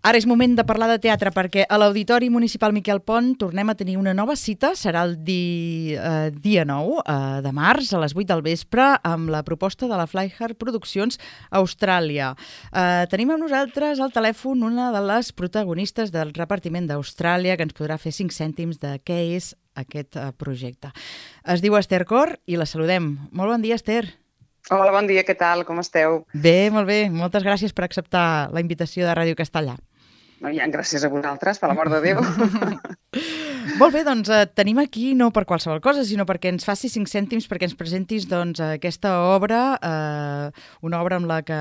Ara és moment de parlar de teatre perquè a l'Auditori Municipal Miquel Pont tornem a tenir una nova cita. Serà el dia 9 de març a les 8 del vespre amb la proposta de la Flyhard Produccions Austràlia. Tenim amb nosaltres al telèfon una de les protagonistes del repartiment d'Austràlia que ens podrà fer 5 cèntims de què és aquest projecte. Es diu Esther Cor i la saludem. Molt bon dia, Esther. Hola, bon dia, què tal? Com esteu? Bé, molt bé. Moltes gràcies per acceptar la invitació de Ràdio Castellà. Gràcies a vosaltres, per l'amor de Déu. Molt bé, doncs tenim aquí no per qualsevol cosa, sinó perquè ens facis 5 cèntims perquè ens presentis aquesta obra, una obra amb la que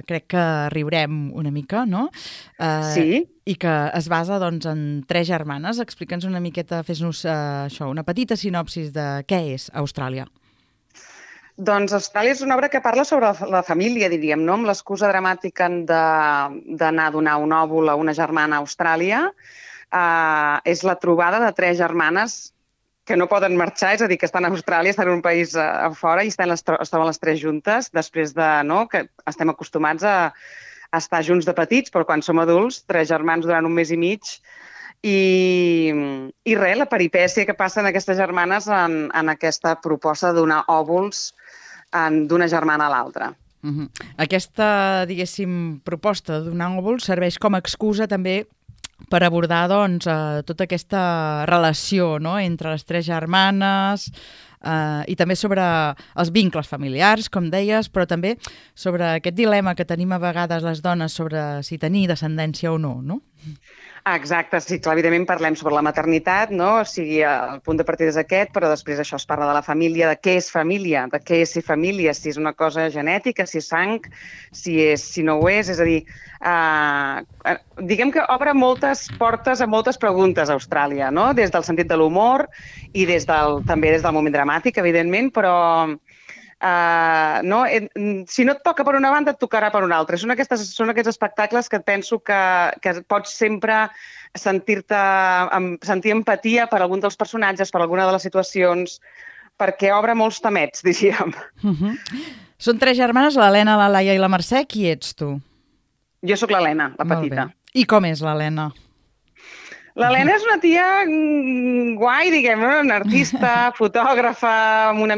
crec que riurem una mica, no? Sí. I que es basa en 3 germanes. Explica'ns una miqueta, fes-nos una petita sinopsis de què és Austràlia. Doncs Austràlia és una obra que parla sobre la família, diríem, no? Amb l'excusa dramàtica d'anar a donar un òvul a una germana a Austràlia. És la trobada de 3 germanes que no poden marxar, és a dir, que estan a Austràlia, estan en un país a fora i es troben les 3 juntes, després de que estem acostumats a estar junts de petits, però quan som adults, 3 germans durant un mes i mig, i res, la peripècia que passen aquestes germanes en aquesta proposta de donar òvuls d'una germana a l'altra. Aquesta, diguéssim, proposta de donar òvuls serveix com a excusa també per abordar tota aquesta relació, no?, entre les 3 germanes i també sobre els vincles familiars, com deies, però també sobre aquest dilema que tenim a vegades les dones sobre si tenir descendència o no, no? Exacte, sí, clar, evidentment parlem sobre la maternitat, no? O sigui, el punt de partida és aquest, però després això es parla de la família, de què és família, de què és ser família, si és una cosa genètica, si és sang, si no ho és a dir, diguem que obre moltes portes a moltes preguntes a Austràlia, no? Des del sentit de l'humor i també des del moment dramàtic, evidentment, però si no et toca per una banda, et tocarà per una altra. Són aquests espectacles que penso que pots sempre sentir empatia per algun dels personatges, per alguna de les situacions, perquè obre molts temets, diríem. Són 3 germanes, l'Helena, la Laia i la Mercè. Qui ets tu? Jo sóc l'Helena, la petita. I com és l'Helena? L'Helena és una tia guai, diguem, una artista, fotògrafa, amb una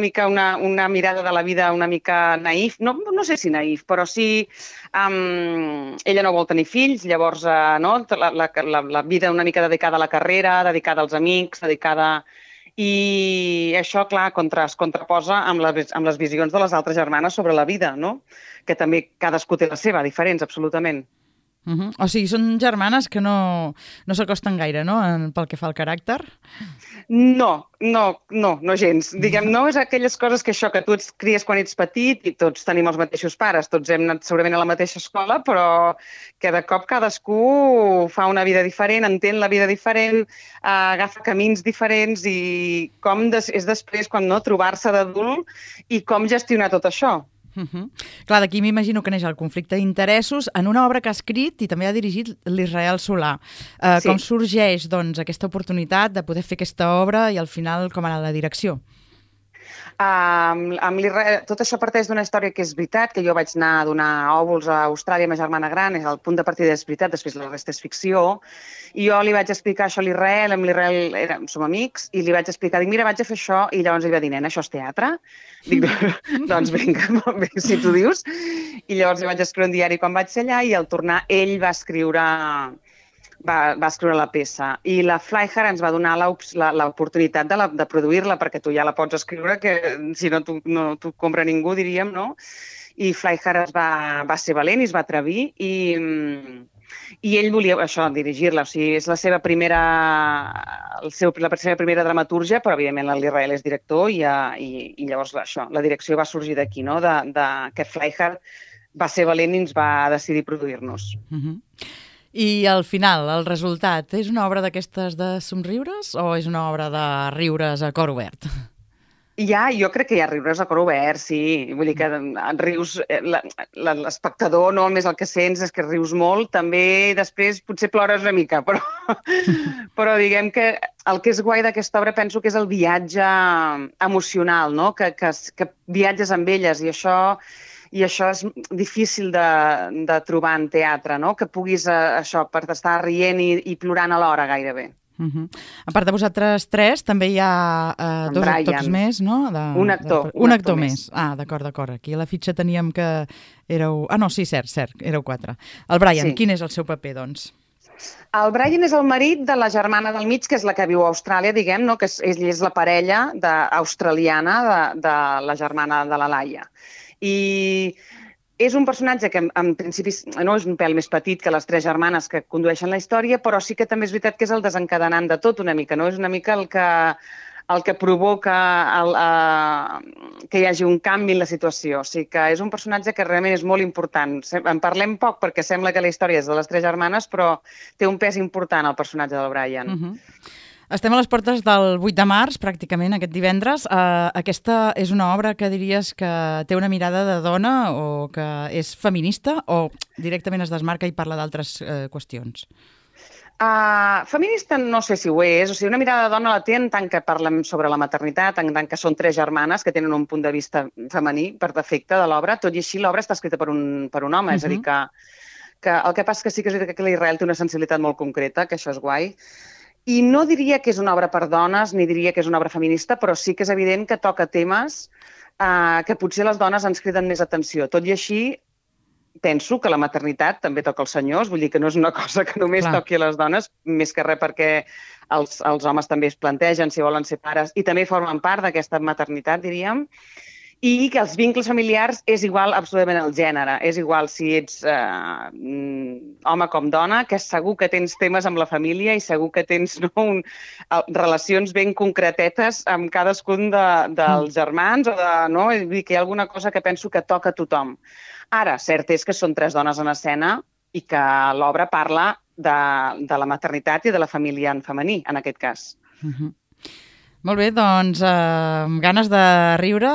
mirada de la vida una mica naïf. No sé si naïf, però sí... ella no vol tenir fills, llavors la vida una mica dedicada a la carrera, dedicada als amics, dedicada... I això, clar, es contraposa amb les visions de les altres germanes sobre la vida, no? Que també cadascú té la seva, diferents, absolutament. O sigui, són germanes que no s'acosten gaire, no?, pel que fa al caràcter? No gens. Diguem, no és aquelles coses que tu et cries quan ets petit i tots tenim els mateixos pares, tots hem anat segurament a la mateixa escola, però que de cop cadascú fa una vida diferent, entén la vida diferent, agafa camins diferents i com és després quan trobar-se d'adult i com gestionar tot això. Clar, d'aquí m'imagino que neix el conflicte d'interessos en una obra que ha escrit i també ha dirigit l'Israel Solà. Com sorgeix, aquesta oportunitat de poder fer aquesta obra i al final com anar a la direcció? Amb l'Israel, tot això parteix d'una història que és veritat, que jo vaig anar a donar òvuls a Austràlia amb ma germana gran, és el punt de partida és veritat, després la resta és ficció, i jo li vaig explicar això a l'Israel, amb l'Israel som amics, i li vaig explicar, mira, vaig a fer això, i llavors ell va dir, nena, això és teatre? Dic, doncs vinga, molt bé, si tu dius. I llavors li vaig escriure un diari quan vaig ser allà, i al tornar ell va escriure la peça. I la Flyhard ens va donar l'oportunitat de produir-la, perquè tu ja la pots escriure, que si no t'ho compra ningú, diríem, no? I Flyhard va ser valent i es va atrevir i ell volia això, dirigir-la. O sigui, és la seva primera dramatúrgia, però evidentment l'Israel és director i llavors això, la direcció va sorgir d'aquí, no? Que Flyhard va ser valent i ens va decidir produir-nos. I al final, el resultat, és una obra d'aquestes de somriures o és una obra de riures a cor obert? Jo crec que hi ha riures a cor obert, sí. Vull dir que rius, l'espectador només el que sents és que rius molt, també després potser plores una mica, però diguem que el que és guai d'aquesta obra penso que és el viatge emocional, no? Que viatges amb elles i això i això és difícil de trobar en teatre, no? Que puguis això, per estar rient i plorant alhora gairebé. A part de vosaltres tres, també hi ha dos actors més, no? Un actor més. Ah, d'acord. Aquí a la fitxa teníem que éreu... Ah, no, sí, cert, éreu 4. El Brian, quin és el seu paper, doncs? El Brian és el marit de la germana del mig, que és la que viu a Austràlia, diguem, no? Que ell és la parella australiana de la germana de la Laia. I és un personatge que, en principi, no és un pèl més petit que les 3 germanes que condueixen la història, però sí que també és veritat que és el desencadenant de tot una mica, no? És una mica el que provoca que hi hagi un canvi en la situació. O sigui que és un personatge que realment és molt important. En parlem poc perquè sembla que la història és de les 3 germanes, però té un pes important el personatge del Brian. Estem a les portes del 8 de març, pràcticament, aquest divendres. Aquesta és una obra que diries que té una mirada de dona o que és feminista o directament es desmarca i parla d'altres qüestions? Feminista no sé si ho és. O sigui, una mirada de dona la té en tant que parlem sobre la maternitat, en tant que són 3 germanes que tenen un punt de vista femení per defecte de l'obra. Tot i així, l'obra està escrita per un home. És a dir, que el que passa que sí que és veritat que l'Israel té una sensibilitat molt concreta, que això és guai. I no diria que és una obra per dones, ni diria que és una obra feminista, però sí que és evident que toca temes que potser les dones ens criden més atenció. Tot i així, penso que la maternitat també toca als senyors, vull dir que no és una cosa que només toqui a les dones, més que res perquè els homes també es plantegen si volen ser pares i també formen part d'aquesta maternitat, diríem. I que els vincles familiars és igual absolutament el gènere. És igual si ets home com dona, que segur que tens temes amb la família i segur que tens relacions ben concretetes amb cadascun dels germans. Vull dir que hi ha alguna cosa que penso que toca a tothom. Ara, cert és que són 3 dones en escena i que l'obra parla de la maternitat i de la família en femení, en aquest cas. Molt bé, doncs amb ganes de riure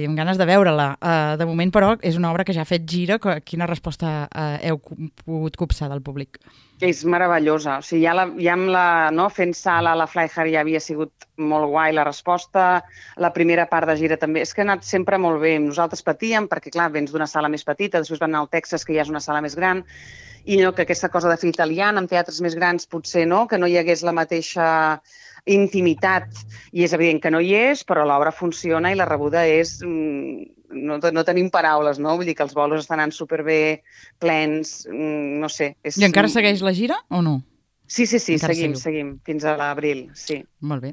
i amb ganes de veure-la. De moment, però, és una obra que ja ha fet gira. Quina resposta heu pogut copsar del públic? És meravellosa. O sigui, fent sala a la Flyhard ja havia sigut molt guai la resposta. La primera part de gira també. És que ha anat sempre molt bé. Nosaltres patíem perquè, clar, vens d'una sala més petita, després van anar al Texas, que ja és una sala més gran, i que aquesta cosa de fer italiana amb teatres més grans potser no, que no hi hagués la mateixa intimitat, i és evident que no hi és, però l'obra funciona i la rebuda és... No tenim paraules, no? Vull dir que els bolos estan anant superbé, plens, no sé. I encara segueix la gira o no? Sí, seguim, fins a l'abril, sí. Molt bé.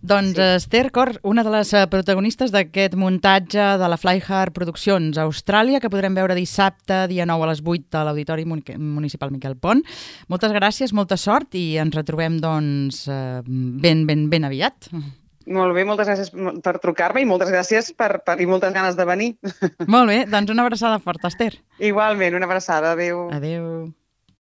Doncs Esther Cor, una de les protagonistes d'aquest muntatge de la Flyhard Produccions a Austràlia, que podrem veure dissabte, dia 9 a les 8 a l'Auditori Municipal Miquel Pont. Moltes gràcies, molta sort i ens retrobem doncs ben aviat. Molt bé, moltes gràcies per trucar-me i moltes gràcies i moltes ganes de venir. Molt bé, doncs una abraçada forta, Esther. Igualment, una abraçada, adéu. Adéu.